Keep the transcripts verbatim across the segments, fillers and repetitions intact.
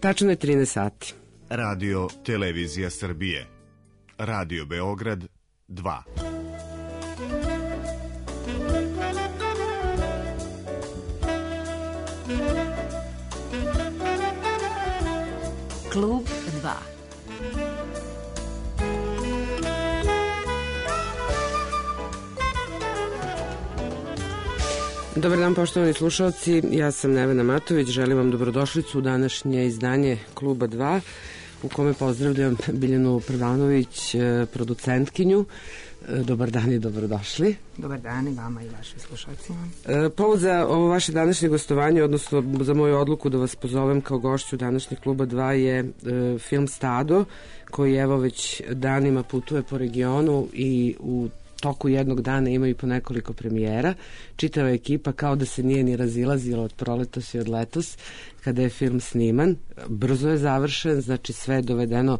Tačno je trinaest sati. Radio Televizija Srbije. Radio Beograd dva. Klub dva. Dobar dan, poštovani slušalci, ja sam Nevena Matović, želim vam dobrodošlicu u današnje izdanje Kluba dva, u kome pozdravljam Biljanu Prvanović, producentkinju. Dobar dan i dobrodošli. Dobar dan i vama i vašim slušalcima. Povod za ovo vaše današnje gostovanje, odnosno za moju odluku da vas pozovem kao gošću današnjeg Kluba dva je film Stado, koji evo već danima putuje po regionu i u toku jednog dana ima i po nekoliko premijera. Čitava ekipa kao da se nije ni razilazila od proletos i od letos kada je film sniman. Brzo je završen, znači sve je dovedeno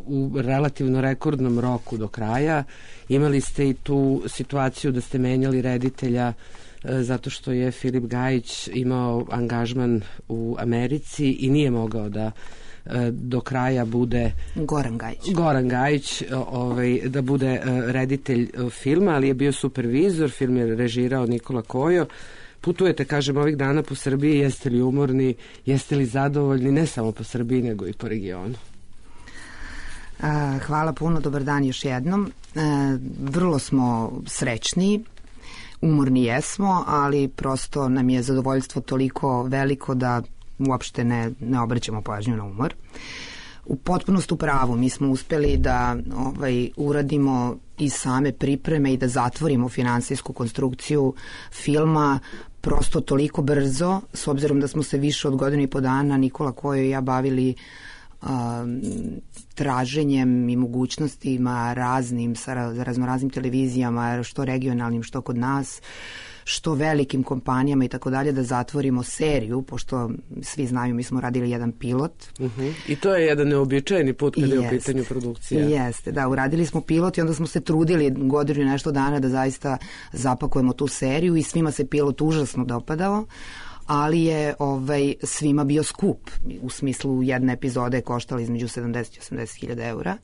u relativno rekordnom roku do kraja. Imali ste i tu situaciju da ste menjali reditelja zato što je Filip Gajić imao angažman u Americi i nije mogao da do kraja bude Goran Gajić. Goran Gajić ovaj, da bude reditelj filma, ali je bio supervizor, film je režirao Nikola Kojo. Putujete, kažem, ovih dana po Srbiji, jeste li umorni, jeste li zadovoljni, ne samo po Srbiji, nego i po regionu? A, hvala puno, dobar dan još jednom. A, vrlo smo srećni, umorni jesmo, ali prosto nam je zadovoljstvo toliko veliko da uopšte ne, ne obraćamo pažnju na umor. U potpunost u pravu, mi smo uspeli da ovaj, uradimo i same pripreme i da zatvorimo finansijsku konstrukciju filma prosto toliko brzo, s obzirom da smo se više od godinu i po dana Nikola Kojo i ja bavili a, traženjem i mogućnostima raznim, sa raznoraznim televizijama, što regionalnim, što kod nas, što velikim kompanijama i tako dalje, da zatvorimo seriju, pošto svi znaju, mi smo radili jedan pilot. Uh-huh. I to je jedan neobičajeni put kada je u pitanju produkcija. Jeste, da, uradili smo pilot i onda smo se trudili godinu i nešto dana da zaista zapakujemo tu seriju i svima se pilot užasno dopadao, ali je ovaj, svima bio skup. U smislu jedne epizode je koštala između sedamdeset i osamdeset hiljada eura.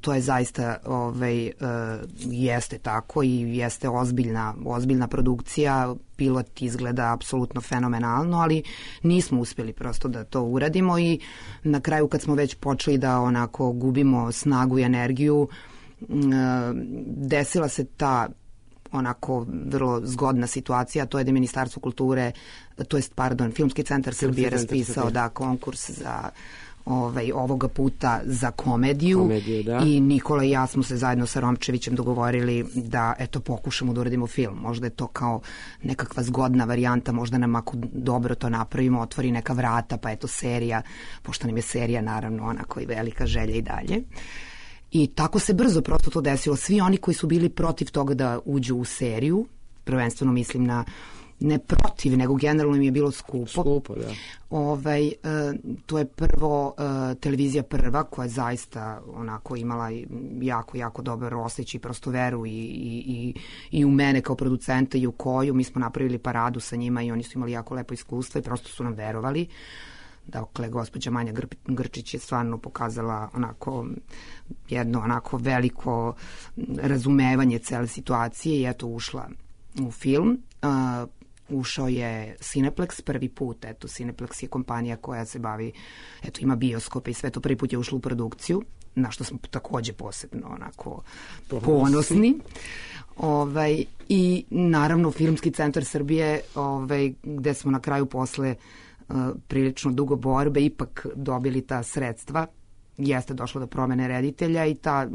To je zaista, ovaj, uh, jeste tako i jeste ozbiljna, ozbiljna produkcija, pilot izgleda apsolutno fenomenalno, ali nismo uspjeli prosto da to uradimo i na kraju kad smo već počeli da onako gubimo snagu i energiju, uh, desila se ta onako vrlo zgodna situacija, to je da je Ministarstvo kulture, to jest, pardon, Filmski centar Srbije raspisao da konkurs za Ovaj, ovoga puta za komediju, komediju da. I Nikola i ja smo se zajedno sa Romčevićem dogovorili da eto pokušamo da uradimo film. Možda je to kao nekakva zgodna varijanta, možda nam ako dobro to napravimo, otvori neka vrata, pa eto serija, pošto nam je serija naravno onako i velika želja i dalje. I tako se brzo prosto to desilo. Svi oni koji su bili protiv toga da uđu u seriju, prvenstveno mislim na ne protiv, nego generalno im je bilo skupo. Skupo, da. Ovaj, e, to je prvo e, televizija Prva, koja je zaista onako imala jako, jako dobar osjećaj, prosto veru i, i, i, i u mene kao producenta i u Koju. Mi smo napravili paradu sa njima i oni su imali jako lepo iskustvo i prosto su nam verovali. Dakle, gospođa Manja Grčić je stvarno pokazala onako jedno onako veliko razumevanje cele situacije i eto ušla u film. Uh, ušao je Cineplex prvi put, eto Cineplex je kompanija koja se bavi, eto ima bioskope i sve to, prvi put je ušlo u produkciju, na što smo takođe posebno onako ponosni. Ovaj, i naravno Filmski centar Srbije, ovaj, gde smo na kraju posle uh, prilično dugo borbe ipak dobili ta sredstva. Jeste došlo do promene reditelja i ta,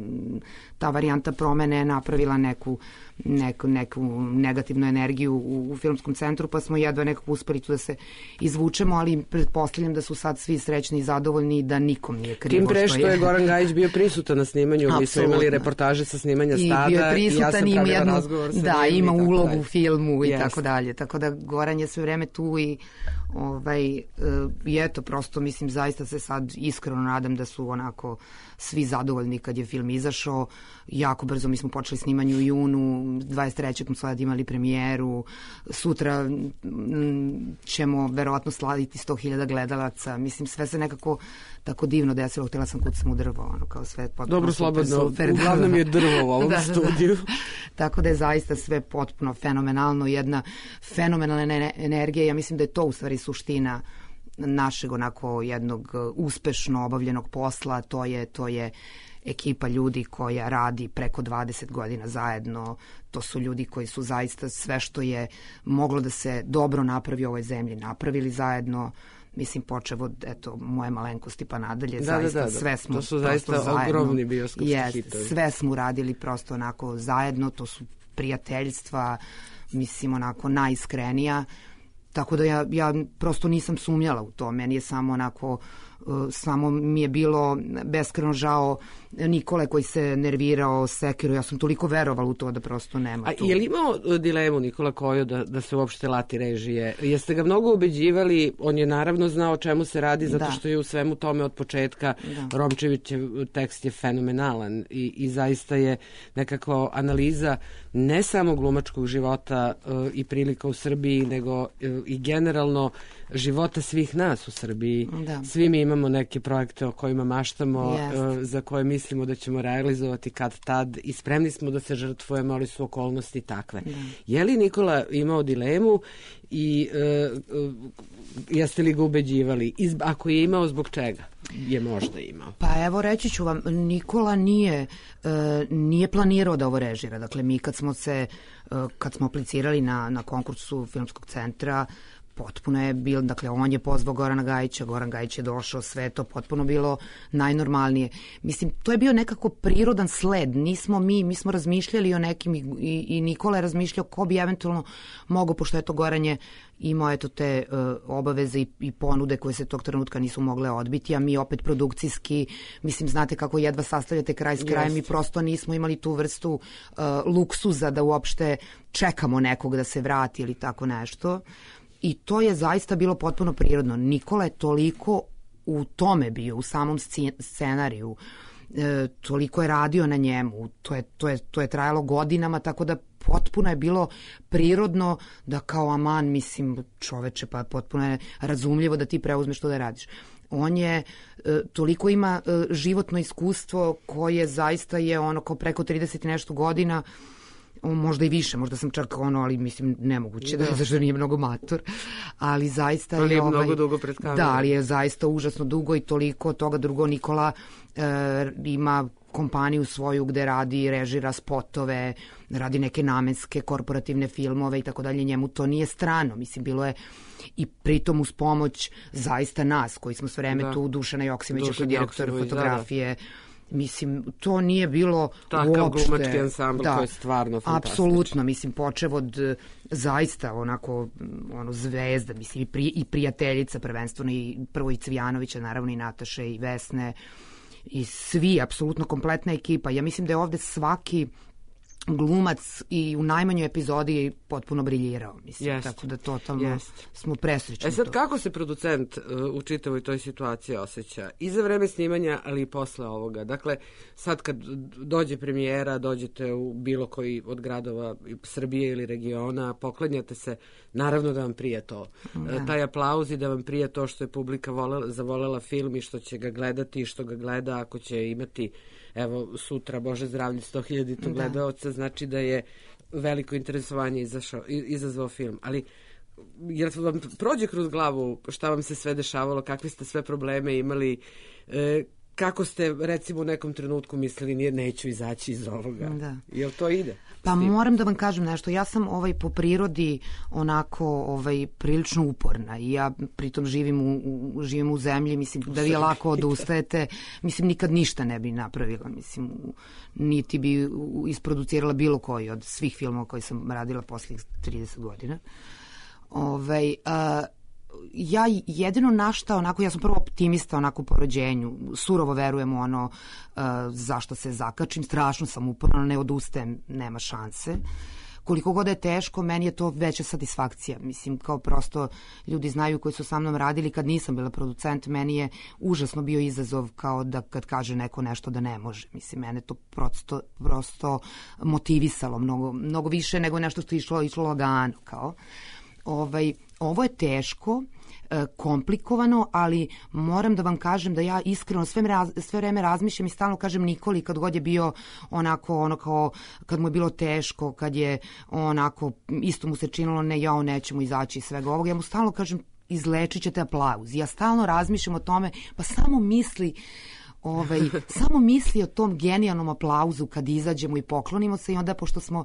ta varijanta promene je napravila neku, neku, neku negativnu energiju u, u filmskom centru, pa smo jedva nekako uspeli tu da se izvučemo, ali pretpostavljam da su sad svi srećni i zadovoljni i da nikom nije krivo. Tim pre što je, je Goran Gajić bio prisutan na snimanju, mi smo imali reportaže sa snimanja Stada i, bio je prisutan, i ja sam pravila jednu, razgovor sa da, njim. Ima i ulogu dalje. U filmu i Yes. tako dalje, tako da Goran je sve vreme tu i Ovaj, i eto, prosto mislim, zaista se sad iskreno nadam da su onako svi zadovoljni kad je film izašao. Jako brzo mi smo počeli snimanje u junu, dvadeset trećeg smo sad imali premijeru, sutra ćemo verovatno slaviti sto hiljada gledalaca. Mislim, sve se nekako tako divno desilo, htjela sam kucam u drvo, ono, kao sve potpuno dobro, super, slobodno, super. Uglavnom je drvo u ovom da, studiju. Da, da. Tako da je zaista sve potpuno fenomenalno, jedna fenomenalna energija. Ja mislim da je to u stvari suština našeg onako jednog uspešno obavljenog posla. To je, to je ekipa ljudi koja radi preko dvadeset godina zajedno. To su ljudi koji su zaista sve što je moglo da se dobro napravi u ovoj zemlji napravili zajedno. Mislim, počev od, eto, moje malenkosti pa nadalje, da, da, zaista da, da. sve smo to su zaista zajedno, ogromni bioskopski jest, hitovi. Sve smo radili prosto onako zajedno, to su prijateljstva, mislim, onako najiskrenija. Tako da ja, ja prosto nisam sumnjala u to. Meni je samo onako, uh, samo mi je bilo beskreno žao Nikole koji se nervirao, sekirao. Ja sam toliko verovala u to da prosto nema A tu. A je li imao dilemu Nikola Kojo da, da se uopšte lati režije? Jeste ga mnogo ubeđivali? On je naravno znao o čemu se radi, zato da. što je u svemu tome od početka. Da. Romčevićev tekst je fenomenalan i, i zaista je nekakva analiza ne samo glumačkog života uh, i prilika u Srbiji, nego uh, i generalno života svih nas u Srbiji. Da. Svi mi imamo neke projekte o kojima maštamo, uh, za koje mislimo da ćemo realizovati kad tad i spremni smo da se žrtvujemo, ali su okolnosti takve. Da. Je li Nikola imao dilemu i uh, uh, jeste li ga ubeđivali? Iz, ako je imao, zbog čega je možda imao? Pa evo, reći ću vam, Nikola nije, uh, nije planirao da ovo režira. Dakle, mi kad smo se, uh, kad smo aplicirali na, na konkursu Filmskog centra, potpuno je bilo, dakle, on je pozvao Gorana Gajića, Goran Gajić je došao, sve to potpuno bilo najnormalnije. Mislim, to je bio nekako prirodan sled, nismo mi, mi smo razmišljali o nekim i, i Nikola je razmišljao ko bi eventualno mogao, pošto je to Goran je imao eto te uh, obaveze i, i ponude koje se tog trenutka nisu mogle odbiti, a mi opet produkcijski, mislim, znate kako jedva sastavljate kraj s krajem, mi prosto nismo imali tu vrstu uh, luksuza da uopšte čekamo nekog da se vrati ili tako nešto. I to je zaista bilo potpuno prirodno. Nikola je toliko u tome bio, u samom scenariju, e, toliko je radio na njemu, to je, to, je, to je trajalo godinama, tako da potpuno je bilo prirodno da kao aman, mislim, čoveče, pa potpuno je razumljivo da ti preuzmeš to da radiš. On je, e, toliko ima e, životno iskustvo koje zaista je ono kao preko trideset i nešto godina, možda i više, možda sam čak ono, ali mislim nemoguće, da, da zašto nije mnogo mator, ali zaista ali je, je ovaj, mnogo dugo pred kamerom. Da, ali je zaista užasno dugo i toliko toga. Drugo, Nikola e, ima kompaniju svoju gde radi, režira spotove, radi neke namenske korporativne filmove i tako dalje, njemu to nije strano, mislim, bilo je i pritom uz pomoć zaista nas, koji smo sve vreme da. tu, Dušana Joksimovića, koji je direktor fotografije, da, da. Mislim, to nije bilo takav uopšte... Takav glumački ansambl, da, to je stvarno fantastično. Apsolutno, mislim, počev od zaista onako ono, zvezda, mislim, i, pri, i prijateljica prvenstveno, i prvo i Cvijanovića, naravno i Nataše i Vesne, i svi, apsolutno kompletna ekipa. Ja mislim da je ovde svaki glumac i u najmanjoj epizodi potpuno briljirao, mislim, yes. tako da totalno yes. smo presrećni. E sad, to. kako se producent uh, u čitavoj toj situaciji osjeća? I za vreme snimanja, ali i posle ovoga. Dakle, sad kad dođe premijera, dođete u bilo koji od gradova Srbije ili regiona, poklanjate se, naravno da vam prije to. Da. Uh, taj aplauz i da vam prije to što je publika volela, zavolela film i što će ga gledati i što ga gleda, ako će imati evo sutra, Bože zdravlje, sto hiljada gledaoca, znači da je veliko interesovanje izašao, izazvao film. Ali jer vam prođe kroz glavu šta vam se sve dešavalo, kakve ste sve probleme imali, e, kako ste recimo u nekom trenutku mislili nije, neću izaći iz ovoga. Da. Jel to ide? Pa moram da vam kažem nešto, ja sam ovaj po prirodi onako ovaj prilično uporna i ja pritom živim u, u, živim u zemlji, mislim da vi lako odustajete, mislim nikad ništa ne bi napravila, mislim niti bi isproducirala bilo koji od svih filmova koji sam radila posljednjih trideset godina. Ovaj, a, ja jedino na šta, onako, ja sam prvo optimista onako po rođenju, surovo verujem u ono uh, zašto se zakačim, strašno sam uporna, ne odustajem, nema šanse. koliko god je teško, meni je to veća satisfakcija. Mislim, kao prosto ljudi znaju koji su sa mnom radili, kad nisam bila producent, meni je užasno bio izazov kao da kad kaže neko nešto da ne može. Mislim, mene to prosto, prosto motivisalo mnogo, mnogo više nego nešto što je išlo, išlo lagano. Kao. Ovaj, ovo je teško, komplikovano, ali moram da vam kažem da ja iskreno sve, sve vreme razmišljam i stalno kažem Nikoli kad god je bio onako, ono kao, kad mu je bilo teško, kad je onako, isto mu se činilo ne, ja nećemo izaći iz svega ovoga, ja mu stalno kažem izlečit ćete aplauz. Ja stalno razmišljam o tome, pa samo misli Ovaj, samo misli o tom genijalnom aplauzu kad izađemo i poklonimo se i onda pošto smo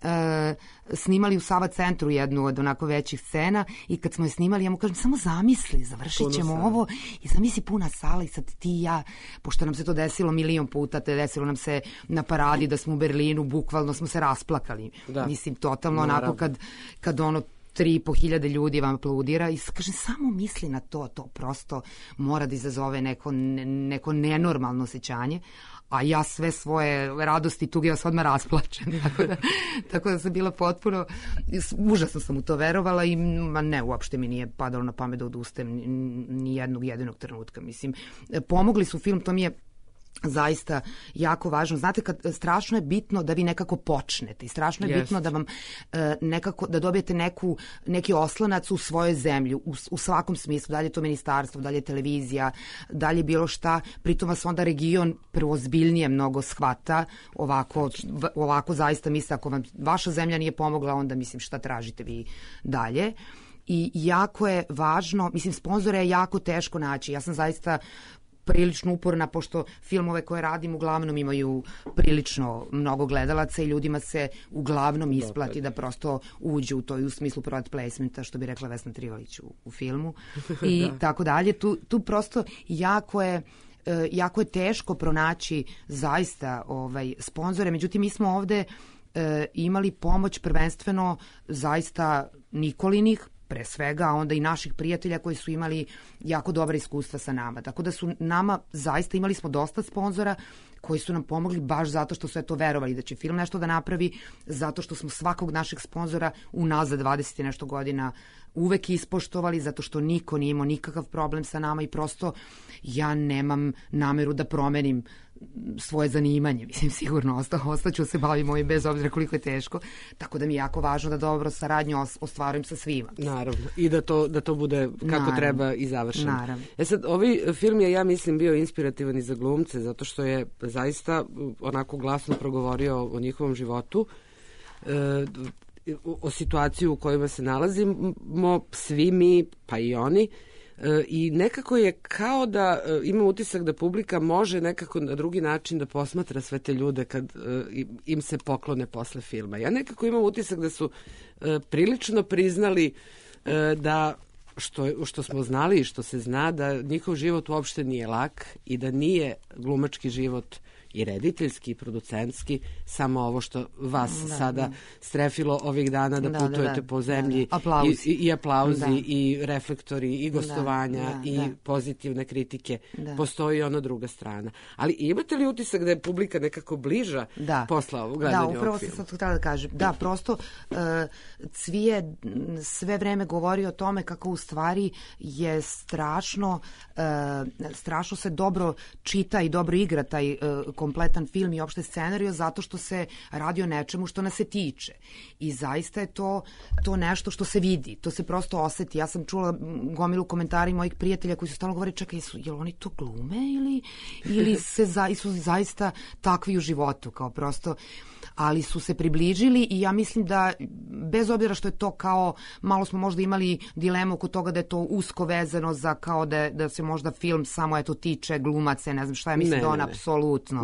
e, snimali u Sava centru jednu od onako većih scena i kad smo je snimali ja mu kažem samo zamisli, završit ćemo ovo i zamisli puna sala i sad ti i ja, pošto nam se to desilo milion puta, te desilo nam se na paradi da smo u Berlinu, bukvalno smo se rasplakali. Da. Mislim, totalno Naravno. onako kad, kad ono tri i po hiljade ljudi vam aplaudira i kažem samo misli na to, to prosto mora da izazove neko, neko nenormalno osjećanje, a ja sve svoje radosti i tuge ja se odmah rasplačem, tako da, tako da sam bila potpuno, užasno sam u to verovala i ma ne, uopšte mi nije padalo na pamet da odustajem ni jednog jedinog trenutka, mislim, pomogli su film, to mi je zaista jako važno. Znate, kad strašno je bitno da vi nekako počnete i strašno je yes. bitno da vam e, nekako, da dobijete neku, neki oslonac u svojoj zemlji, u, u svakom smislu, da li je to ministarstvo, da li je televizija, da li je bilo šta, pritom vas onda region preozbiljnije mnogo shvata, ovako, v, ovako zaista misle, ako vam vaša zemlja nije pomogla, onda mislim šta tražite vi dalje. I jako je važno, mislim, sponzore je jako teško naći. Ja sam zaista prilično uporna, pošto filmove koje radim uglavnom imaju prilično mnogo gledalaca i ljudima se uglavnom isplati da prosto uđu u to i u smislu product placementa, što bi rekla Vesna Trivalić u, u filmu i da. tako dalje. Tu, tu prosto jako je jako je teško pronaći zaista ovaj, sponzore, međutim mi smo ovde e, imali pomoć prvenstveno zaista Nikolinih, pre svega, a onda i naših prijatelja koji su imali jako dobra iskustva sa nama. Tako da su nama, zaista imali smo dosta sponzora koji su nam pomogli baš zato što su eto verovali da će film nešto da napravi, zato što smo svakog našeg sponzora unazad dvadeset i nešto godina uvek ispoštovali, zato što niko nije imao nikakav problem sa nama i prosto ja nemam nameru da promenim svoje zanimanje, mislim sigurno osta, ostaću se bavim ovim bez obzira koliko je teško, tako da mi je jako važno da dobro saradnju ostvarujem sa svima. Naravno, i da to, da to bude kako Naravno. treba i završeno. Naravno. E sad, ovaj film je, ja mislim, bio inspirativan i za glumce, zato što je zaista onako glasno progovorio o njihovom životu, e, o situaciji u kojima se nalazimo, svi mi, pa i oni, i nekako je kao da imam utisak da publika može nekako na drugi način da posmatra sve te ljude kad im se poklone posle filma. Ja nekako imam utisak da su prilično priznali da što, što smo znali i što se zna da njihov život uopšte nije lak i da nije glumački život i rediteljski i producentski, samo ovo što vas da, sada da. strefilo ovih dana da, da putujete da, da, po zemlji da, da. Aplauzi. I, i aplauzi da. i reflektori i gostovanja da, da, i da. pozitivne kritike. Da. Postoji ona druga strana. Ali imate li utisak da je publika nekako bliža da. posla ovog gledanja ovog filma? Da, upravo sam sad htjela da kažem. Da, prosto uh, Cvije sve vreme govori o tome kako u stvari je strašno uh, strašno se dobro čita i dobro igra taj uh, kompletan film i opšte scenariju zato što se radi o nečemu što nas se tiče. I zaista je to, to nešto što se vidi, to se prosto oseti. Ja sam čula gomilu komentari mojih prijatelja koji su stalno govorili, čekaj, su, jel oni to glume ili, ili se za, su zaista takvi u životu, kao prosto, ali su se približili i ja mislim da bez obzira što je to kao, malo smo možda imali dilemu oko toga da je to usko vezano za kao da, da se možda film samo eto tiče glumaca, ne znam šta, ja mislim ne, da on apsolutno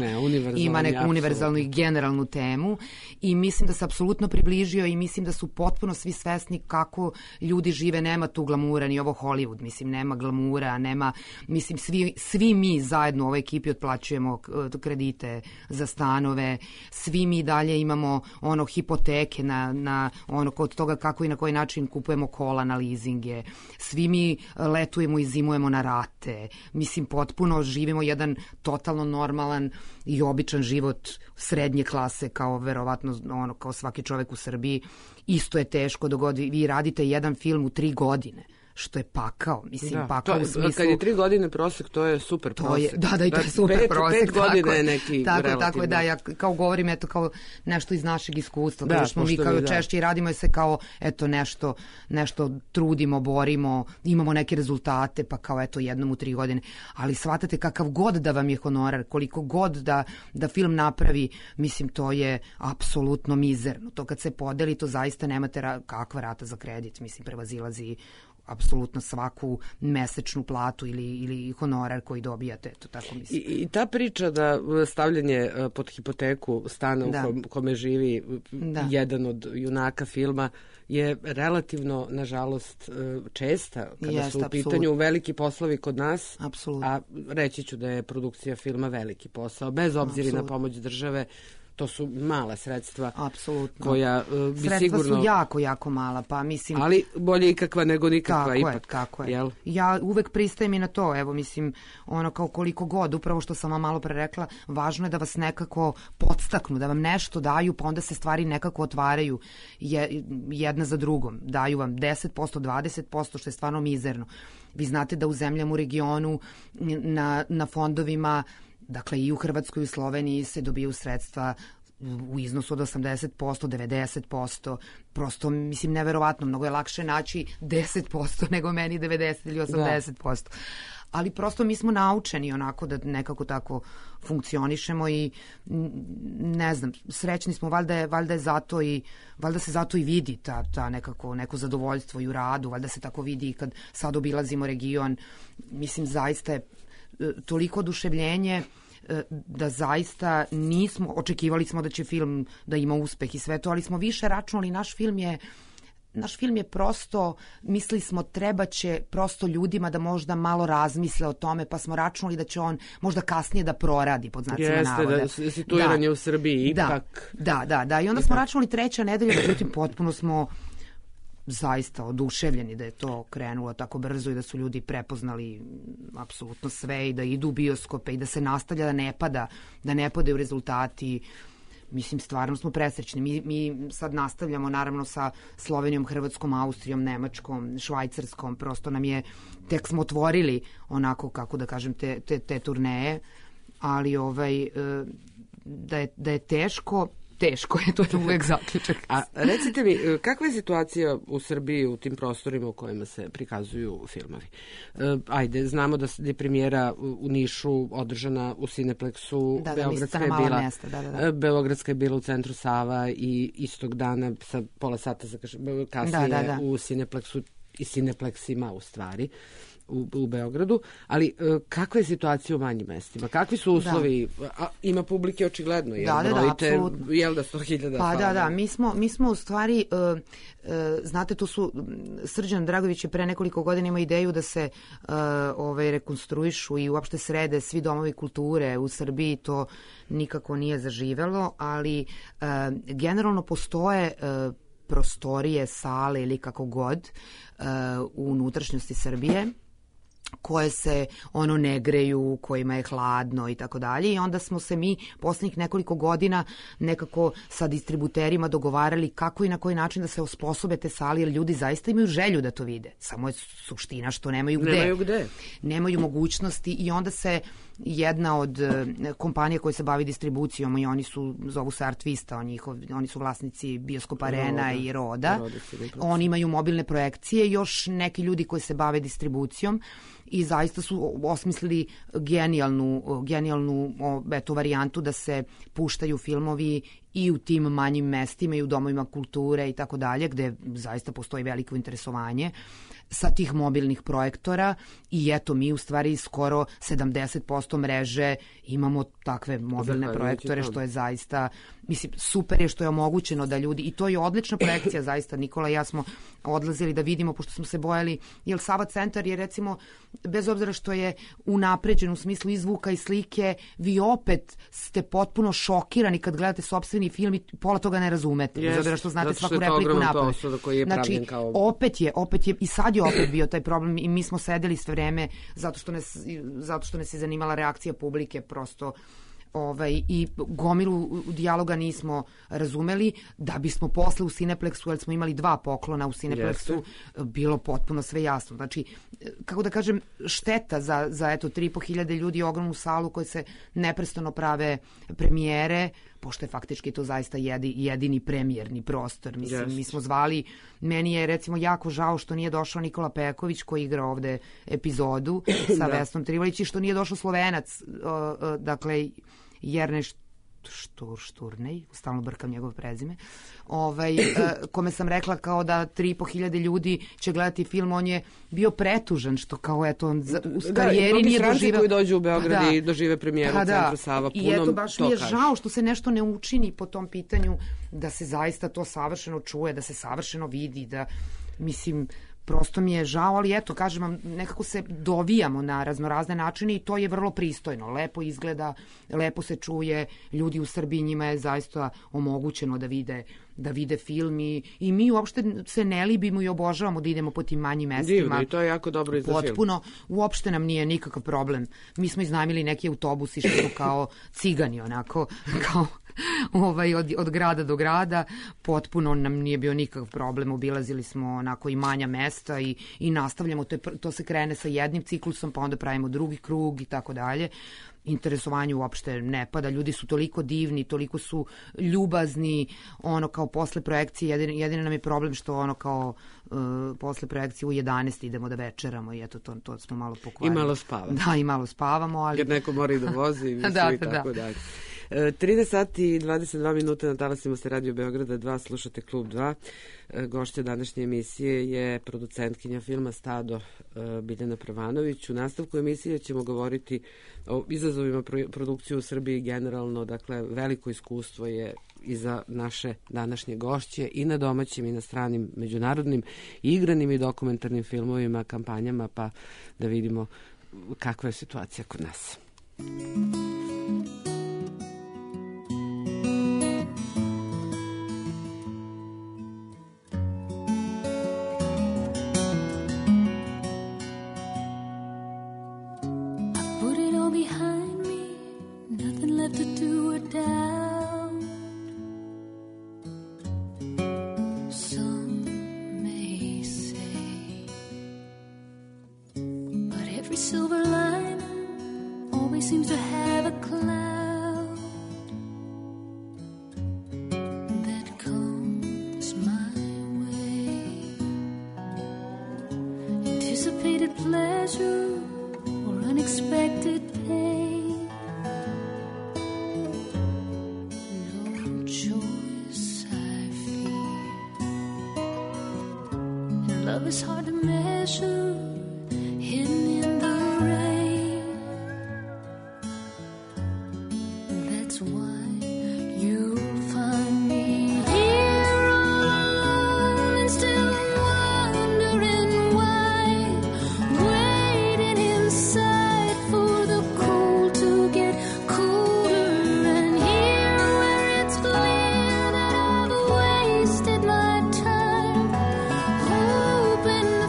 ima neku univerzalnu i generalnu temu i mislim da se apsolutno približio i mislim da su potpuno svi svesni kako ljudi žive, nema tu glamura, ni ovo Hollywood, mislim, nema glamura, nema, mislim, svi, svi mi zajedno u ovoj ekipi otplaćujemo kredite za stanove, svi mi dalje imamo ono hipoteke na, na ono kod toga kako i na koji način kupujemo kola na leasinge, svi mi letujemo i zimujemo na rate, mislim, potpuno živimo jedan totalno normalan i običan život srednje klase kao verovatno ono, kao svaki čovek u Srbiji, isto je teško dok god vi, vi radite jedan film u tri godine. Što je pakao, mislim, da, pakao to, u smislu... Kad je tri godine prosek, to je super to prosek. Je, da, da, i to je super pet, prosek. Pet godina je neki tako, relativno. Tako je, da, ja kao govorim, eto, kao nešto iz našeg iskustva, da, kada smo mi kao da. češće i radimo se kao, eto, nešto, nešto trudimo, borimo, imamo neke rezultate, pa kao, eto, jednom u tri godine. Ali shvatate kakav god da vam je honorar, koliko god da, da film napravi, mislim, to je apsolutno mizerno. To kad se podeli, to zaista nemate ra kakva rata za kredit, mislim, prevazilazi apsolutno svaku mesečnu platu ili, ili honorar koji dobijate, to tako mislim. I, I ta priča da stavljanje pod hipoteku stana da. u kom, kome živi da. jedan od junaka filma je relativno, nažalost, česta kada Jest, su u pitanju absolutno. veliki poslovi kod nas, Absolutno. a reći ću da je produkcija filma veliki posao, bez obzira absolutno. na pomoć države. To su mala sredstva. Apsolutno. Koja uh, bi sredstva sigurno... su jako, jako mala, pa mislim... Ali bolje ikakva nego nikakva tako ipak. Je, tako je. Jel? Ja uvek pristajem i na to, evo, mislim, ono kao koliko god, upravo što sam vam malo pre rekla, važno je da vas nekako podstaknu, da vam nešto daju, pa onda se stvari nekako otvaraju je, jedna za drugom. Daju vam deset posto, dvadeset posto, što je stvarno mizerno. Vi znate da u zemljama u regionu na, na fondovima, dakle i u Hrvatskoj i u Sloveniji se dobiju sredstva u iznosu od osamdeset posto, devedeset posto, prosto, mislim, neverovatno, mnogo je lakše naći deset posto nego meni devedeset ili osamdeset posto. Da. Ali prosto mi smo naučeni onako da nekako tako funkcionišemo i ne znam, srećni smo, valjda je, valjda je zato i valjda se zato i vidi ta, ta nekako, neko zadovoljstvo i u radu, valjda se tako vidi i kad sad obilazimo region, mislim, zaista je toliko oduševljenje da zaista nismo, očekivali smo da će film da ima uspeh i sve to, ali smo više računali, naš film je naš film je prosto, mislili smo treba će prosto ljudima da možda malo razmisle o tome, pa smo računali da će on možda kasnije da proradi, pod znacima Jeste, navoda. Jeste, da situiranje da, u Srbiji ipak. Da, da, da, da. I onda ipak. smo računali treća nedelja, međutim potpuno smo zaista oduševljeni da je to krenulo tako brzo i da su ljudi prepoznali apsolutno sve i da idu u bioskope i da se nastavlja da ne pada, da ne padaju rezultati. Mislim, stvarno smo presrećni. Mi, mi sad nastavljamo naravno sa Slovenijom, Hrvatskom, Austrijom, Nemačkom, Švajcarskom. Prosto nam je, tek smo otvorili onako, kako da kažem, te, te, te turneje, ali ovaj, da je, da je teško, teško je, to je uvek zaključak. A recite mi, kakva je situacija u Srbiji u tim prostorima u kojima se prikazuju filmovi? Ajde, znamo da je premijera u Nišu održana u Cineplexu, da, da, Beogradska je bila, mesta, da, da, da. Beogradska je bila u centru Sava i istog dana sa pola sata kasnije da, da, da. u Cineplexu i Cineplexima u stvari. U, u Beogradu, ali e, kakva je situacija u manjim mestima? Kakvi su uslovi? Da. A, ima publike očigledno, jel? Da, da, da, apsolutno. Jel da sto hiljada? Pa da, da, mi smo, mi smo u stvari, uh, uh, znate, tu su, Srđan Dragović je pre nekoliko godina imao ideju da se uh, ovaj, rekonstruišu i uopšte srede svi domovi kulture u Srbiji, to nikako nije zaživelo, ali uh, generalno postoje uh, prostorije, sale ili kako god uh, u unutrašnjosti Srbije koje se ono ne greju, kojima je hladno i tako dalje i onda smo se mi poslednjih nekoliko godina nekako sa distributerima dogovarali kako i na koji način da se osposobe te sale, jer ljudi zaista imaju želju da to vide, samo je suština što nemaju gde. Nemaju gde. Nemaju mogućnosti i onda se jedna od kompanija koja se bavi distribucijom i oni su, zovu se Artvista, oni, oni su vlasnici Bioskopa Arena i Roda. Roda oni imaju mobilne projekcije, još neki ljudi koji se bave distribucijom i zaista su osmislili genijalnu, genijalnu eto, varijantu da se puštaju filmovi i u tim manjim mestima i u domovima kulture i tako dalje, gde zaista postoji veliko interesovanje sa tih mobilnih projektora i eto mi u stvari skoro sedamdeset posto mreže imamo takve mobilne projektore, što je zaista, mislim, super je što je omogućeno da ljudi, i to je odlična projekcija zaista, Nikola i ja smo odlazili da vidimo, pošto smo se bojali, jer Sava centar je recimo, bez obzira što je unapređen u smislu i zvuka i slike, vi opet ste potpuno šokirani kad gledate sopstveni film i pola toga ne razumete, yes, bez obzira što znate svaku repliku napad. Znači, kao... opet je, opet je, i sad je opet bio taj problem i mi smo sedeli sve vreme zato što nas, zato što nas je zanimala reakcija publike, prosto ovaj, i gomilu dijaloga nismo razumeli, da bismo posle u Cineplexu, jer smo imali dva poklona u Cineplexu, bilo potpuno sve jasno. Znači, kako da kažem, šteta za, za eto, tri i po hiljade ljudi, ogromnu salu koje se neprestano prave premijere, pošto je faktički to zaista jedi, jedini premijerni prostor. Mislim, yes. Mi smo zvali, meni je recimo jako žao što nije došao Nikola Peković koji igra ovde epizodu sa da. Vesnom Trivolić i što nije došao Slovenac, uh, uh, dakle, Jerne Štur, Šturnej, stalno brkam njegov prezime, ovaj, uh, kome sam rekla kao da tri i po hiljade ljudi će gledati film, on je bio pretužan što kao eto on za, u karijeri da, nije doživeo. Koji dođu u Beograd da. I dožive premijeru pa, da. Centra Sava punom. I eto baš mi je kažeš. Žao što se nešto ne učini po tom pitanju, da se zaista to savršeno čuje, da se savršeno vidi, da mislim prosto mi je žao, ali eto, kažem vam, nekako se dovijamo na raznorazne načine i to je vrlo pristojno, lepo izgleda, lepo se čuje, ljudi u Srbiji njima je zaista omogućeno da vide da vide film i, i mi uopšte se ne libimo i obožavamo da idemo po tim manjim mestima. Divno, i to je jako dobro i za film. Potpuno, uopšte nam nije nikakav problem. Mi smo iznajmili neki autobusi što su kao cigani, onako, kao ovaj, od, od grada do grada, potpuno nam nije bio nikakav problem, obilazili smo onako i manja mesta i, i nastavljamo, to, je, to se krene sa jednim ciklusom, pa onda pravimo drugi krug i tako dalje. Interesovanje uopšte ne pada, ljudi su toliko divni, toliko su ljubazni, ono kao posle projekcije, jedini, jedini nam je problem što ono kao uh, posle projekcije u jedanaest idemo da večeramo i eto to, to smo malo pokvarili. I malo spavamo. Da, i malo spavamo, ali... Jer neko mora i da vozi i, da, i tako da. Dalje. trinaest sati i dvadeset dva minuta na talasima se Radio Beograda dva, slušate Klub dva. Gošća današnje emisije je producentkinja filma Stado Biljana Prvanović. U nastavku emisije ćemo govoriti o izazovima produkcije u Srbiji generalno, dakle veliko iskustvo je i za naše današnje gošće i na domaćim i na stranim međunarodnim igranim i dokumentarnim filmovima, kampanjama, pa da vidimo kakva je situacija kod nas.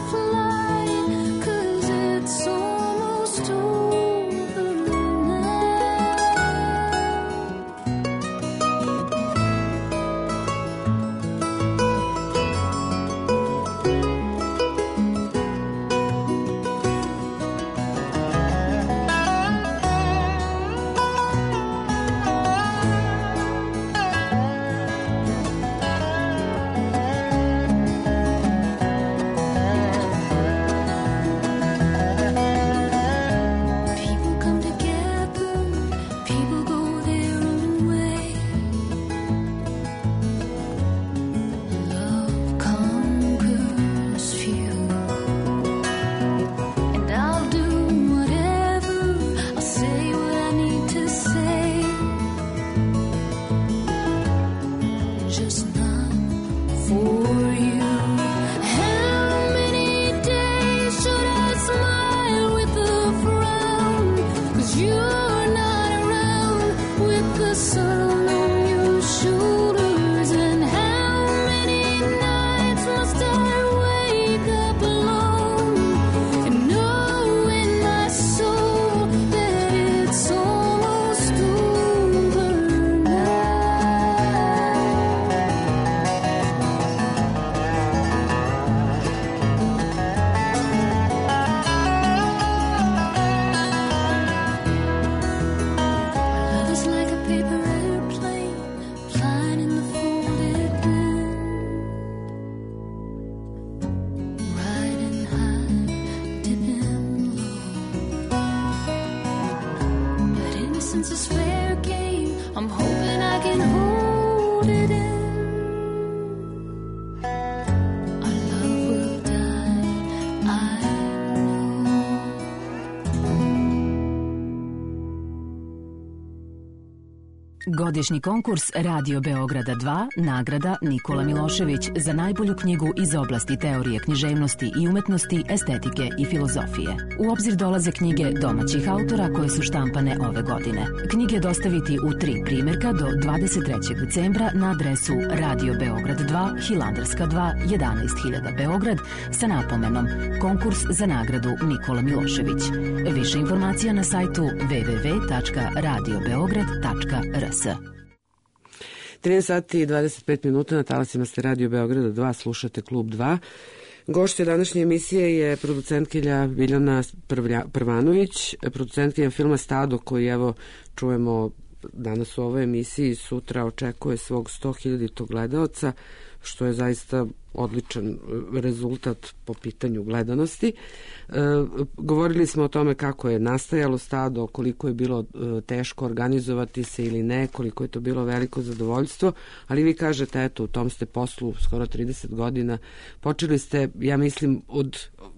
Fly since it's fair game, I'm hoping I can hold it in. Our love will die, I know. Godišnji konkurs Radio Beograda dva, nagrada Nikola Milošević za najbolju knjigu iz oblasti teorije književnosti i umetnosti, estetike i filozofije. U obzir dolaze knjige domaćih autora koje su štampane ove godine. Knjige dostaviti u tri primjerka do dvadeset trećeg decembra na adresu Radio Beograd dva, Hilandarska dva, jedanaest hiljada Beograd sa napomenom Konkurs za nagradu Nikola Milošević. Više informacija na sajtu w w w tačka radio beograd tačka r s. trinaest sati i dvadeset pet minuta na talasima ste Radio Beograda dva, slušate Klub dva. Gošća današnje emisije je producentkinja Biljana Prvanović, producentkinja filma Stado, koji evo čujemo danas u ovoj emisiji, sutra očekuje svog sto hiljaditog gledaoca, što je zaista odličan rezultat po pitanju gledanosti. E, govorili smo o tome kako je nastajalo Stado, koliko je bilo e, teško organizovati se ili ne, koliko je to bilo veliko zadovoljstvo, ali vi kažete, eto, u tom ste poslu skoro trideset godina, počeli ste, ja mislim, od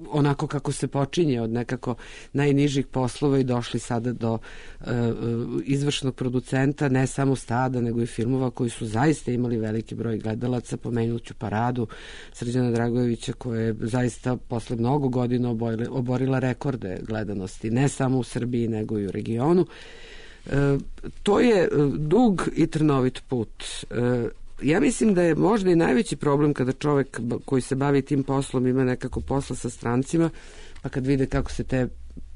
onako kako se počinje, od nekako najnižih poslova i došli sada do e, izvršnog producenta, ne samo Stada, nego i filmova koji su zaista imali veliki broj gledalaca. Pomenuću Paradu Srđana Dragojevića, koja je zaista posle mnogo godina oborila rekorde gledanosti, ne samo u Srbiji nego i u regionu. E, to je dug i trnovit put. E, ja mislim da je možda i najveći problem kada čovek koji se bavi tim poslom ima nekako posla sa strancima, pa kad vide kako se te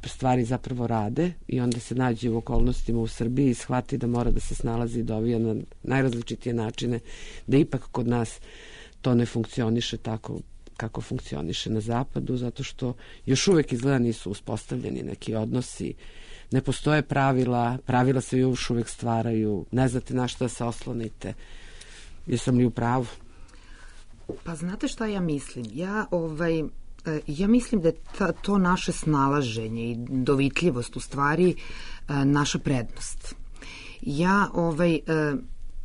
stvari zapravo rade i onda se nađe u okolnostima u Srbiji i shvati da mora da se snalazi i dovija na najrazličitije načine, da ipak kod nas to ne funkcioniše tako kako funkcioniše na zapadu, zato što još uvek izgleda nisu uspostavljeni neki odnosi, ne postoje pravila, pravila se još uvek stvaraju, ne znate na šta se oslonite. Jesam li u pravu? Pa znate šta ja mislim? Ja, ovaj, ja mislim da je ta, to naše snalaženje i dovitljivost u stvari naša prednost. Ja, ovaj,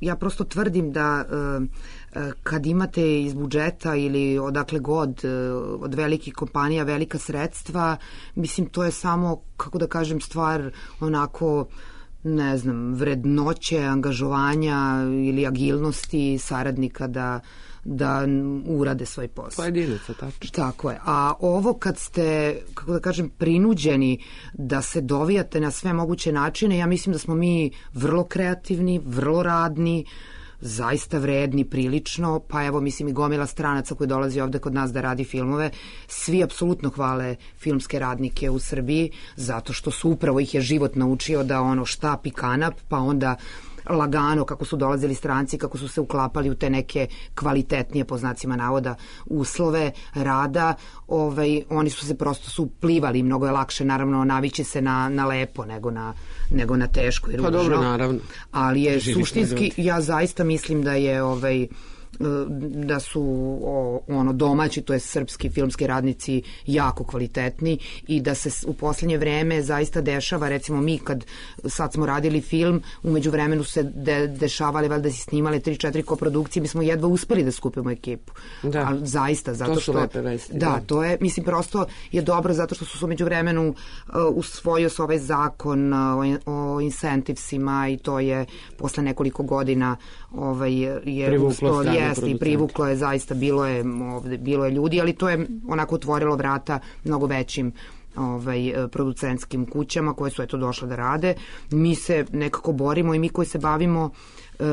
ja prosto tvrdim da kad imate iz budžeta ili odakle god od velikih kompanija velika sredstva, mislim to je samo, kako da kažem, stvar onako, ne znam, vrednoće, angažovanja ili agilnosti saradnika da da urade svoj posao. Pojedinaca, tačno. Tako je. A ovo kad ste, kako da kažem, prinuđeni da se dovijate na sve moguće načine, ja mislim da smo mi vrlo kreativni, vrlo radni, zaista vredni prilično, pa evo mislim i gomila stranaca koji dolazi ovde kod nas da radi filmove, svi apsolutno hvale filmske radnike u Srbiji, zato što su upravo ih je život naučio da ono štap i kanap, pa onda lagano kako su dolazili stranci, kako su se uklapali u te neke kvalitetnije, po znacima navoda, uslove rada, ovaj, oni su se prosto su plivali, mnogo je lakše naravno navići se na, na lepo nego na, nego na teško i ružno. Pa dobro, naravno. Ali je suštinski, ja zaista mislim da je ovaj da su o, ono domaći, to je srpski filmski radnici jako kvalitetni i da se u poslednje vreme zaista dešava, recimo mi kad sad smo radili film, umeđu vremenu se de, dešavali, valjda si snimali tri četiri koprodukcije, mi smo jedva uspeli da skupimo ekipu. Da. Ali zaista, zato to što... lepe vesti, da, da, to je, mislim, prosto je dobro zato što su se umeđu vremenu uh, usvojio se ovaj zakon uh, o incentivesima i to je posle nekoliko godina ovaj, je privuklo jeste i privuklo je, zaista bilo je ovde, bilo je ljudi, ali to je onako otvorilo vrata mnogo većim ovaj, producentskim kućama koje su eto došle da rade. Mi se nekako borimo i mi koji se bavimo e,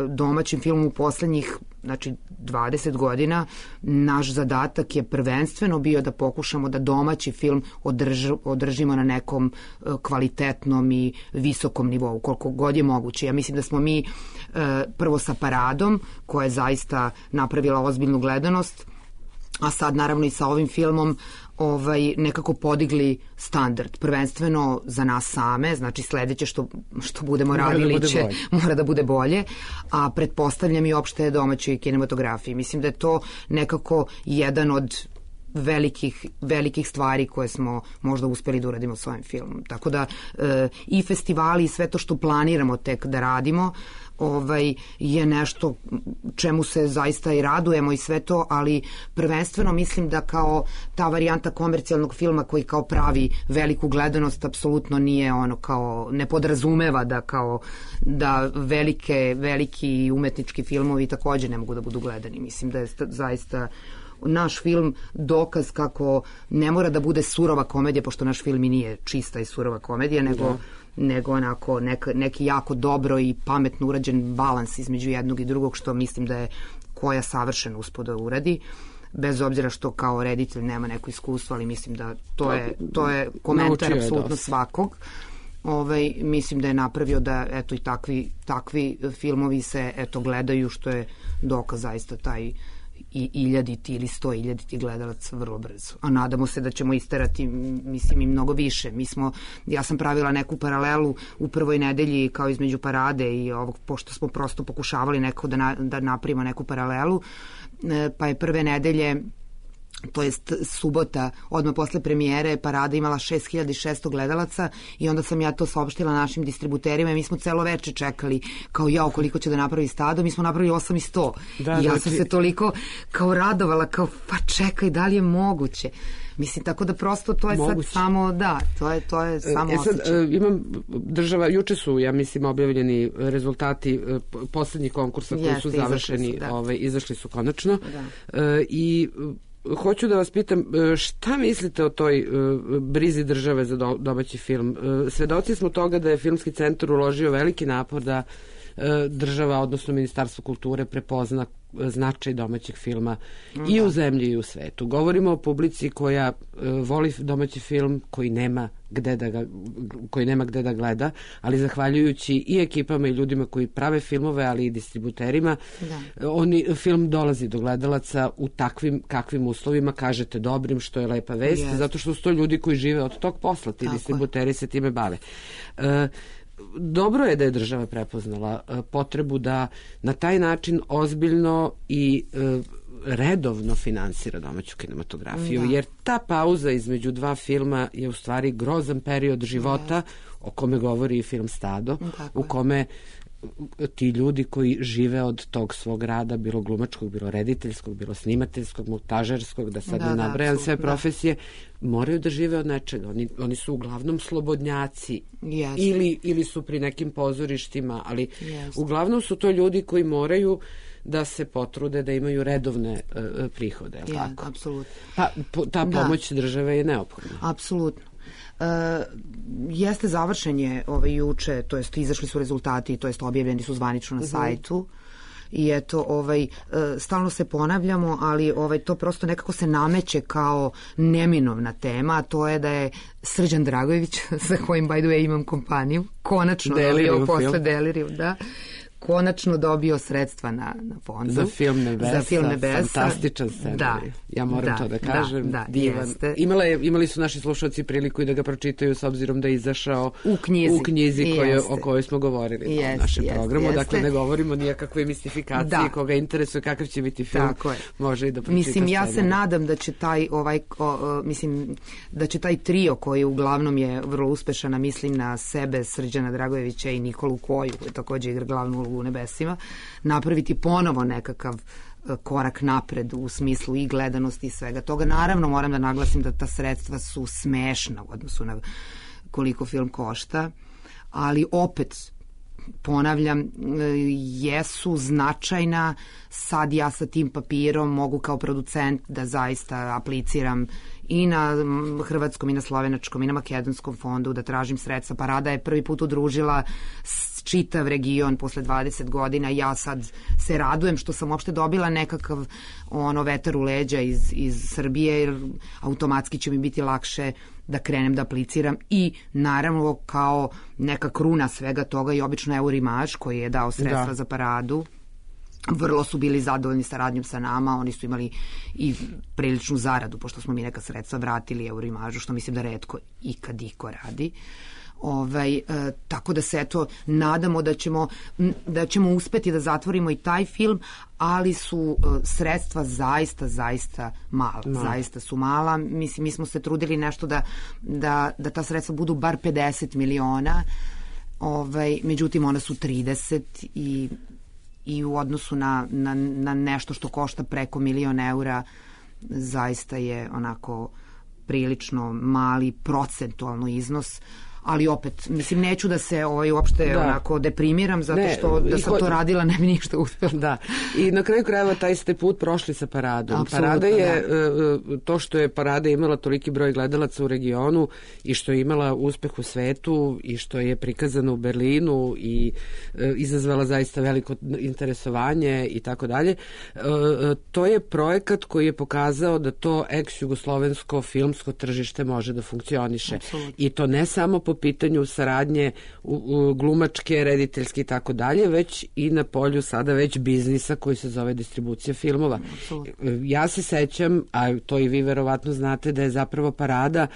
domaćim filmom u poslednjih znači dvadeset godina, naš zadatak je prvenstveno bio da pokušamo da domaći film održ, održimo na nekom e, kvalitetnom i visokom nivou, koliko god je moguće. Ja mislim da smo mi e, prvo sa Paradom, koja je zaista napravila ozbiljnu gledanost, a sad naravno i sa ovim filmom ovaj, nekako podigli standard, prvenstveno za nas same, znači sledeće što, što budemo mora radili da će, bolje. mora da bude bolje, a pretpostavljam i opšte domaćoj kinematografiji. Mislim da je to nekako jedan od velikih, velikih stvari koje smo možda uspeli da uradimo svojim filmom. Tako da e, i festivali i sve to što planiramo tek da radimo ovaj, je nešto čemu se zaista i radujemo i sve to, ali prvenstveno mislim da kao ta varijanta komercijalnog filma koji kao pravi veliku gledanost apsolutno nije ono kao, ne podrazumeva da kao da velike, veliki umetnički filmovi takođe ne mogu da budu gledani. Mislim da je zaista naš film dokaz kako ne mora da bude surova komedija, pošto naš film i nije čista i surova komedija, nego da. nego onako nek, neki jako dobro i pametno urađen balans između jednog i drugog, što mislim da je Koja savršeno uspeo da uradi, bez obzira što kao reditelj nema neko iskustvo, ali mislim da to je, to je komentar apsolutno svakog. Ovaj, mislim da je napravio da eto i takvi, takvi filmovi se eto gledaju, što je dokaz zaista taj i iljaditi ili sto iljaditi gledalac vrlo brzo. A nadamo se da ćemo isterati, mislim, i mnogo više. Mi smo, ja sam pravila neku paralelu u prvoj nedelji kao između Parade i ovog, pošto smo prosto pokušavali neko da, na, da napravimo neku paralelu, pa je prve nedelje, to jest subota, odmah posle premijere, Parada imala šest hiljada šesto gledalaca i onda sam ja to saopštila našim distributerima i mi smo celo veče čekali kao jao koliko će da napravi Stado, mi smo napravili osam i sto da, i ja sam ti... se toliko kao radovala, kao pa čekaj, da li je moguće? Mislim, tako da prosto to je moguće. Sad samo, da, to je, to je samo e, sad, osjećaj. Imam država, juče su, ja mislim, objavljeni rezultati poslednjih konkursa koji Jeste, su završeni, izašli su, da. ovaj, izašli su konačno da. E, i hoću da vas pitam, šta mislite o toj uh, brizi države za do, domaći film? Uh, svedoci smo toga da je Filmski centar uložio veliki napor da uh, država, odnosno Ministarstvo kulture, prepozna značaj domaćeg filma da. i u zemlji i u svetu. Govorimo o publici koja uh, voli domaći film, koji nema gde da ga, koji nema gde da gleda, ali zahvaljujući i ekipama i ljudima koji prave filmove, ali i distributerima, da. oni, film dolazi do gledalaca u takvim kakvim uslovima, kažete dobrim, što je lepa vest, yes. zato što su to ljudi koji žive od tog posla, ti Tako distributeri je. se time bave. E, dobro je da je država prepoznala e, potrebu da na taj način ozbiljno i e, redovno finansira domaću kinematografiju, da. jer ta pauza između dva filma je u stvari grozan period života da. o kome govori i film Stado, Tako u kome ti ljudi koji žive od tog svog rada, bilo glumačkog, bilo rediteljskog, bilo snimateljskog, montažerskog, da sad da, ne nabrajam da, sve profesije, da. moraju da žive od nečega. Oni, oni su uglavnom slobodnjaci yes. ili, ili su pri nekim pozorištima, ali yes. uglavnom su to ljudi koji moraju da se potrude da imaju redovne uh, prihode, je li ja, tako? Apsolutno. Pa, po, ta pomoć da. države je neophodna. Apsolutno. Uh, jeste završen je ovaj juče, to jest izašli su rezultati, to jest objavljeni su zvanično na uh-huh. sajtu i eto ovaj uh, stalno se ponavljamo, ali ovaj to prosto nekako se nameće kao neminovna tema, a to je da je Srđan Dragojević, sa kojim by the way imam kompaniju, konačno dobio posle Delirium, da konačno dobio sredstva na, na fondu. Za film Nebesa. Za film Nebesa. Fantastičan scenarij. Da, ja moram da, to da kažem. Da, da, divan. Imala je, imali su naši slušalci priliku i da ga pročitaju s obzirom da je izašao u knjizi, u knjizi koje, o kojoj smo govorili jest, u našem jest, programu. Jeste. Dakle, ne govorimo nijakakve mistifikaciji, da. koga interesuje kakav će biti film. Tako je. Može i da pročita Mislim, ja se nadam da će taj ovaj, o, o, mislim, da će taj trio koji uglavnom je vrlo uspešan, a mislim na sebe, Srđana Dragojevića i Nikolu Koju, koji takođe igra glavnu ulogu u Nebesima, napraviti ponovo nekakav korak napred u smislu i gledanosti i svega toga. Naravno, moram da naglasim da ta sredstva su smešna u odnosu na koliko film košta, ali opet ponavljam, jesu značajna. Sad ja sa tim papirom mogu kao producent da zaista apliciram i na hrvatskom i na slovenačkom i na makedonskom fondu da tražim sredstva. Parada je prvi put udružila čitav region posle dvadeset godina. Ja sad se radujem što sam uopšte dobila nekakav ono vetar u leđa iz, iz Srbije, jer automatski će mi biti lakše da krenem da apliciram i naravno kao neka kruna svega toga i obično Eurimaž koji je dao sredstva da. za Paradu. Vrlo su bili zadovoljni saradnjom sa nama, oni su imali i priličnu zaradu, pošto smo mi neka sredstva vratili Eurimažu, što mislim da retko ikad iko radi. Ovaj, e, tako da se eto nadamo da ćemo, da ćemo uspeti da zatvorimo i taj film, ali su e, sredstva zaista, zaista mala. No. Zaista su mala. Mislim, mi smo se trudili nešto da, da, da ta sredstva budu bar pedeset miliona, ovaj, međutim ona su trideset i, i u odnosu na, na, na nešto što košta preko milion eura zaista je onako prilično mali procentualno iznos, ali opet, mislim, neću da se ovaj, uopšte da. onako deprimiram, zato ne, što da sam ko... to radila ne bi ništa uspela. Da, i na kraju krajeva taj ste put prošli sa paradom. Absolutno, Parada je, da. to što je Parada imala toliki broj gledalaca u regionu i što je imala uspeh u svetu i što je prikazano u Berlinu i e, izazvala zaista veliko interesovanje i tako dalje, e, to je projekat koji je pokazao da to ex-jugoslovensko filmsko tržište može da funkcioniše. Absolutno. I to ne samo po pitanju saradnje u, u glumačke, rediteljske i tako dalje, već i na polju sada već biznisa koji se zove distribucija filmova. Absolutno. Ja se sećam, a to i vi verovatno znate, da je zapravo Parada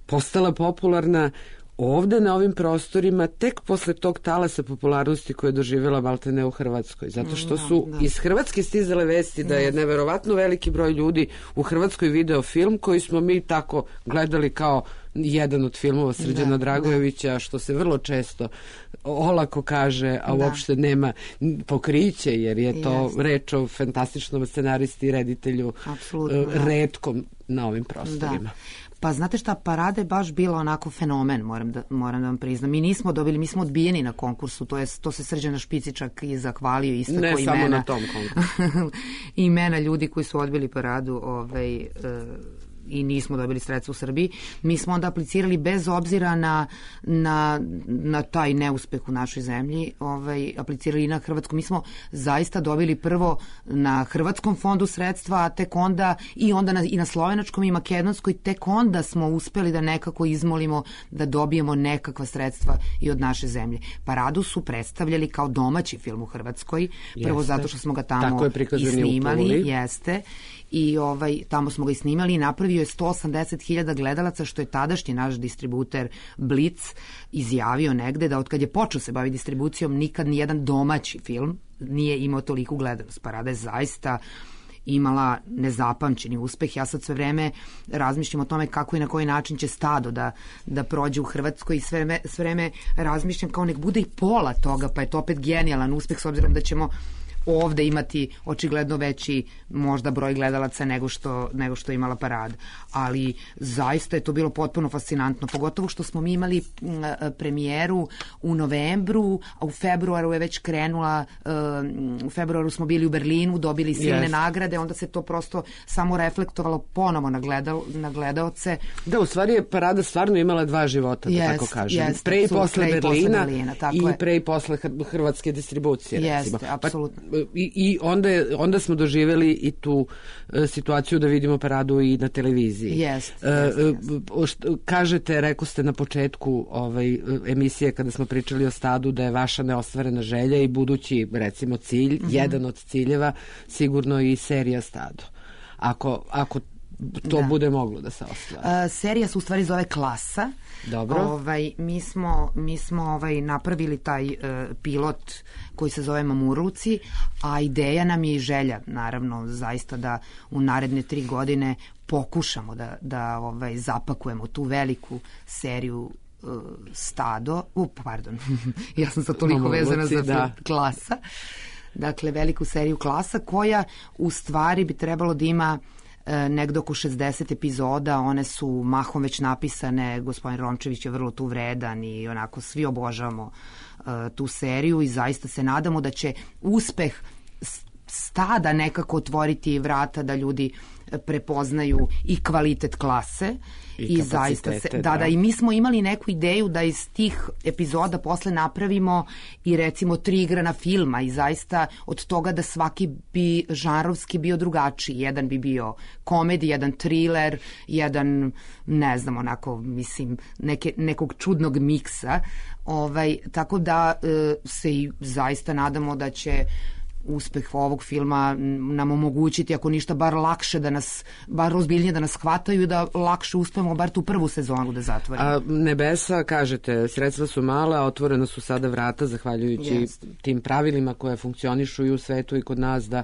postala popularna ovde na ovim prostorima tek posle tog talasa popularnosti koje je doživjela maltene u Hrvatskoj. Zato što su da, da. iz Hrvatske stizale vesti da je neverovatno veliki broj ljudi u Hrvatskoj video film koji smo mi tako gledali kao jedan od filmova Srđana da, Dragojevića, da. što se vrlo često olako kaže, a da. uopšte nema pokriće, jer je to Jasne. reč o fantastičnom scenaristi i reditelju Apsolutno, uh, retkom na ovim prostorima. Da. Pa znate šta, Parada je baš bila onako fenomen, moram da, moram da vam priznam. Mi nismo dobili, mi smo odbijeni na konkursu, to, je, to se Srđana Špici čak i zahvalio isto ne ko imena. Ne samo na tom konkursu. Imena ljudi koji su odbili Paradu ovaj, uh, i nismo dobili sredstva u Srbiji. Mi smo onda aplicirali bez obzira na, na, na taj neuspeh u našoj zemlji, ovaj, aplicirali i na Hrvatsku. Mi smo zaista dobili prvo na Hrvatskom fondu sredstva, a tek onda i onda na, i na Slovenačkom i Makedonskoj, tek onda smo uspeli da nekako izmolimo da dobijemo nekakva sredstva i od naše zemlje. Paradu su predstavljali kao domaći film u Hrvatskoj, prvo jeste. zato što smo ga tamo i snimali, jeste. I ovaj, tamo smo ga i snimali i napravio je sto osamdeset hiljada gledalaca, što je tadašnji naš distributer Blic izjavio negde da od kad je počeo se baviti distribucijom nikad nijedan domaći film nije imao toliku gledalac. Parada je zaista imala nezapamćeni uspeh. Ja sad sve vreme razmišljam o tome kako i na koji način će Stado da, da prođe u Hrvatskoj i sve vreme, sve vreme razmišljam kao nek bude i pola toga, pa je to opet genijalan uspeh s obzirom da ćemo ovde imati očigledno veći možda broj gledalaca nego što, nego što je imala Parada. Ali zaista je to bilo potpuno fascinantno, pogotovo što smo mi imali premijeru u novembru, a u februaru je već krenula, u februaru smo bili u Berlinu, dobili silne yes. nagrade, onda se to prosto samo reflektovalo ponovo na, gledal, na gledaoce. Da, u stvari je Parada stvarno imala dva života, da yes, tako kažem. Yes, pre i posle pre Berlina, Berlina i je. pre i posle hrvatske distribucije. Jeste, apsolutno. Pa, I, i onda, je, onda smo doživjeli i tu e, situaciju da vidimo Paradu i na televiziji. Yes, e, yes, yes. Kažete, rekao ste na početku ovaj, emisije kada smo pričali o Stadu da je vaša neostvarena želja i budući, recimo, cilj, mm-hmm. jedan od ciljeva, sigurno i serija Stado. Ako, ako to da. bude moglo da se ostvari. Uh, serija se u stvari zove Klasa. Dobro. Ovaj, mi smo, mi smo ovaj, napravili taj uh, pilot koji se zove Mamurluci, a ideja nam je i želja, naravno, zaista da u naredne tri godine pokušamo da, da ovaj, zapakujemo tu veliku seriju uh, Stado. Uh, pardon, ja sam sad toliko Mamurluci, vezana za da. Klasa. Dakle, veliku seriju Klasa koja u stvari bi trebalo da ima negdje oko šezdeset epizoda, one su mahom već napisane, gospodin Rončević je vrlo tu vredan i onako svi obožavamo uh, tu seriju i zaista se nadamo da će uspeh Stada nekako otvoriti vrata da ljudi prepoznaju i kvalitet Klase i, i zaista se, da, da, da, i mi smo imali neku ideju da iz tih epizoda posle napravimo i recimo tri igrana filma i zaista od toga da svaki bi žanrovski bio drugačiji. Jedan bi bio komedij, jedan thriller, jedan, ne znam, onako, mislim, neke, nekog čudnog miksa. Ovaj, tako da e, se i zaista nadamo da će uspeh ovog filma nam omogućiti, ako ništa, bar lakše da nas, bar ozbiljnije da nas hvataju i da lakše uspemo bar tu prvu sezonu da zatvorimo. A nebesa, kažete, sredstva su mala, a otvorena su sada vrata, zahvaljujući Jest. tim pravilima koje funkcionišu i u svetu i kod nas, da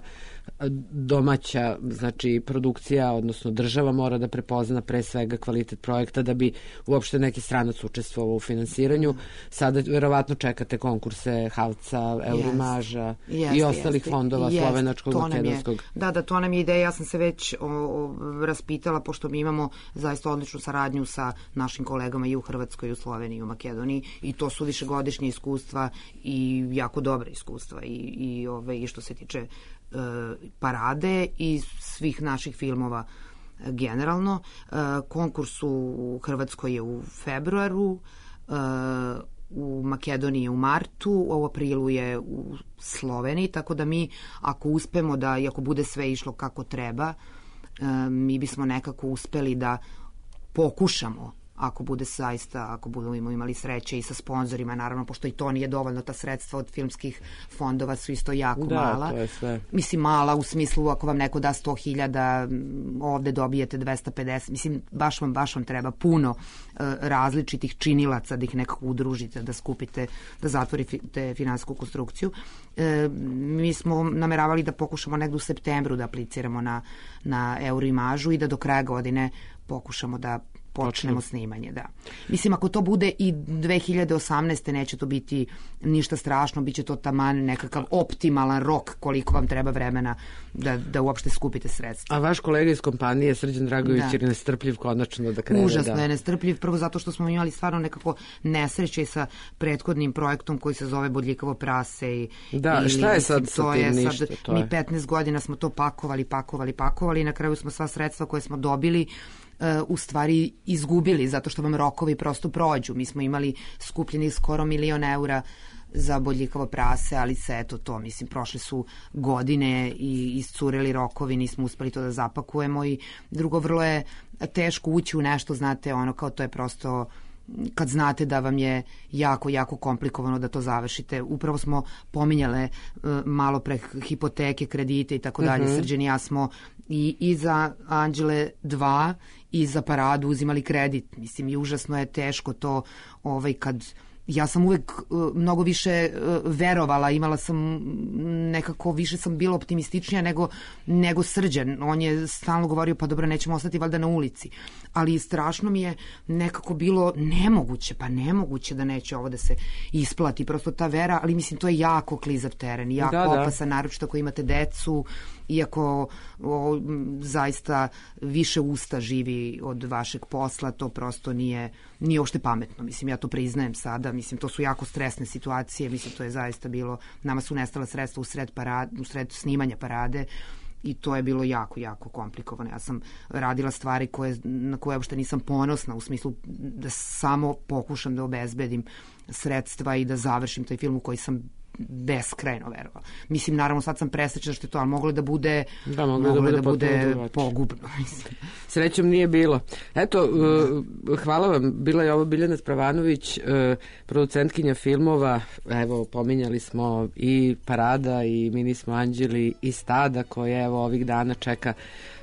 domaća, znači produkcija, odnosno država mora da prepozna pre svega kvalitet projekta da bi uopšte neki stranac učestvovao u finansiranju. Sada verovatno čekate konkurse Havca, Eurimaža Jest, i ostalih jest, fondova jest, slovenačkog, to nam je- makedonskog. Da, da, to nam je ideja. Ja sam se već o, o, raspitala, pošto mi imamo zaista odličnu saradnju sa našim kolegama i u Hrvatskoj, i u Sloveniji, i u Makedoniji, i to su višegodišnje iskustva i jako dobra iskustva i, i, ove, i što se tiče e, parade i svih naših filmova e, generalno. E, konkurs u Hrvatskoj je u februaru, e, u Makedoniji je u martu, u aprilu je u Sloveniji, tako da mi, ako uspemo da, i ako bude sve išlo kako treba, e, mi bismo nekako uspeli da pokušamo, ako bude zaista, ako budemo imali sreće i sa sponzorima, naravno, pošto i to nije dovoljno, ta sredstva od filmskih fondova su isto jako Da, mala. to je sve. Mislim, mala u smislu, ako vam neko da sto hiljada, ovde dobijete dvesta pedeset, mislim, baš vam, baš vam treba puno e, različitih činilaca da ih nekako udružite, da skupite, da zatvorite finansijsku konstrukciju. E, mi smo nameravali da pokušamo negde u septembru da apliciramo na, na Eurimažu i da do kraja godine pokušamo da počnemo snimanje, da. Mislim, ako to bude i dve hiljade osamnaeste. neće to biti ništa strašno, bit će to taman nekakav optimalan rok koliko vam treba vremena da, da uopšte skupite sredstva. A vaš kolega iz kompanije, Srđan Dragović, Da. je nestrpljiv konačno da krene. Užasno da. je nestrpljiv, prvo zato što smo imali stvarno nekako nesreće sa prethodnim projektom koji se zove Bodljikavo prase. I, Da, ili, šta je sad mislim, sa to tim? je Ništa, sad, to mi je. petnaest godina smo to pakovali, pakovali, pakovali i na kraju smo sva sredstva koje smo dobili u stvari izgubili, zato što vam rokovi prosto prođu. Mi smo imali skupljeni skoro milion eura za Bodljikavo prase, ali se eto to, mislim, prošle su godine i iscureli rokovi, nismo uspeli to da zapakujemo i drugo, vrlo je teško ući u nešto, znate, ono kao to je prosto kad znate da vam je jako, jako komplikovano da to završite. Upravo smo pominjale uh, malo pre hipoteke, kredite i tako dalje. Srđan i ja smo i, i za Anđele dva i za Paradu uzimali kredit. Mislim, i užasno je teško to ovaj, kad ja sam uvek uh, mnogo više uh, verovala, imala sam nekako, više sam bila optimističnija nego, nego Srđan. On je stalno govorio, pa dobro, nećemo ostati valjda na ulici. Ali strašno mi je nekako bilo nemoguće, pa nemoguće da neće ovo da se isplati. Prosto ta vera, ali mislim, to je jako klizav teren, jako Da, da. opasan, naročito ako imate decu, iako o, m, zaista više usta živi od vašeg posla, to prosto nije, nije uopšte pametno. Mislim, ja to priznajem sada, mislim, to su jako stresne situacije, mislim, to je zaista bilo, nama su nestala sredstva u sred, parade, u sred snimanja Parade i to je bilo jako, jako komplikovano. Ja sam radila stvari koje, na koje uopšte nisam ponosna, u smislu da samo pokušam da obezbedim sredstva i da završim taj film u koji sam beskrajno verovala. Mislim, naravno, sad sam presrećna što je to, ali moglo da bude, Da, moglo moglo da da bude bude, potpuno drugačije. pogubno. Mislim. Srećom nije bilo. Eto, uh, hvala vam. Bila je ovo Biljana Spravanović, uh, producentkinja filmova. Evo, pominjali smo i Parada i Mi smo anđeli i Stada, koje evo ovih dana čeka,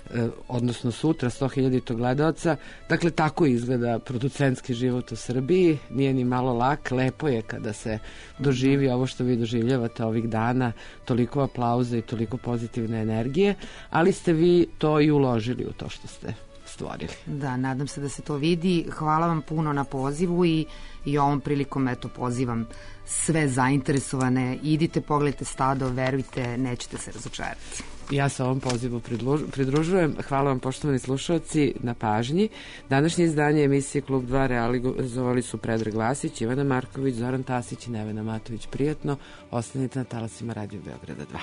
uh, odnosno sutra, sto hiljada gledaoca. Dakle, tako izgleda producentski život u Srbiji. Nije ni malo lak. Lepo je kada se doživi ovo što vi doživljavate ovih dana. Toliko aplauza i toliko pozitivne energije. Ali ste vi to i uložili u to što ste stvorili. Da, nadam se da se to vidi. Hvala vam puno na pozivu i, i ovom prilikom eto pozivam sve zainteresovane. Idite, pogledajte Stado, verujte, nećete se razočarati. Ja se ovom pozivu pridružujem. Hvala vam, poštovani slušalci, na pažnji. Današnje izdanje emisije Klub dva realizovali su Predrag Vasić, Ivana Marković, Zoran Tasić i Nevena Matović. Prijatno, ostanite na talasima Radio Beograda dva.